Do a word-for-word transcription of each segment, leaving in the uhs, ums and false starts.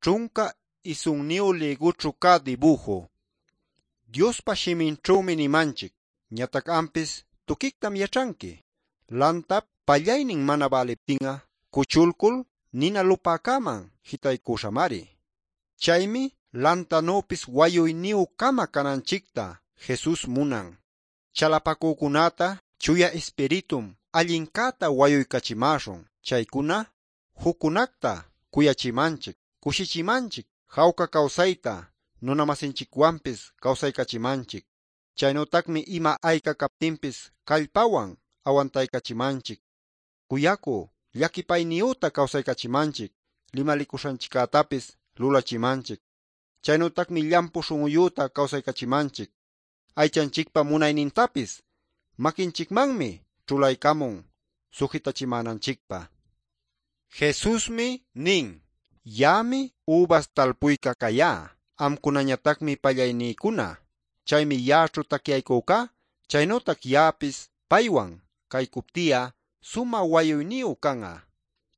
Ćhunca isunniyu lïgućhu cä dibuju. Diospa shiminćhümi nimanchic, ñatac ampis tuquictam yaćhanqui. Lantap pallaynin mana bäliptin'a cuchulcul nina lupäcäman jitaycuśhamari. Chaymi lantanüpis wayuyniyü-cama cananchicta Jesus munan. Chalapacücunäta Chuya Ispiritum allincäta wayuycachimäśhun. Chaycuna juccunacta cuyachimanchic, cushichimanchic, jawca cawsayta nunamasinchicwanpis cawsaycachimanchic. Chaynütacmi ima ayca captinpis callpawan awantaycachimanchic. Cuyacü, llaquipayniyüta cawsaycachimanchic, limalicuśhanchiccätapis lulachimanchic. Chaynütacmi llampu śhun'uyüta cawsaycachimanchic. Aychanchicpa munaynintapis maquinchicmanmi ćhulaycamun sujitachimänanchicpä. Jesusmi nin: Ya'ami ubas talpuyca cayá, amcunañatacmi pallaynïcuna. Chaymi ya'aćhu tacyaycücá, chaynütac ya'apis paywan caycupti'a sumä wayuyniyu can'a.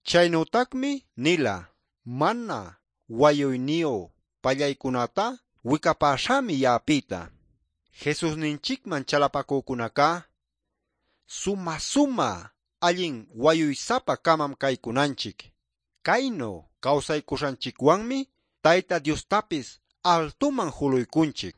Chaynütacmi nila: Mana wayuyniyu pallaycunätá wicapäśhämi ya'apïta. Jesusninchicman chalapacücunacá sumä-sumä allin wayuysapa-camam caycunanchic. Caynu cawsaycuśhanchicwanmi Tayta Diostapis altuman juluycunchic.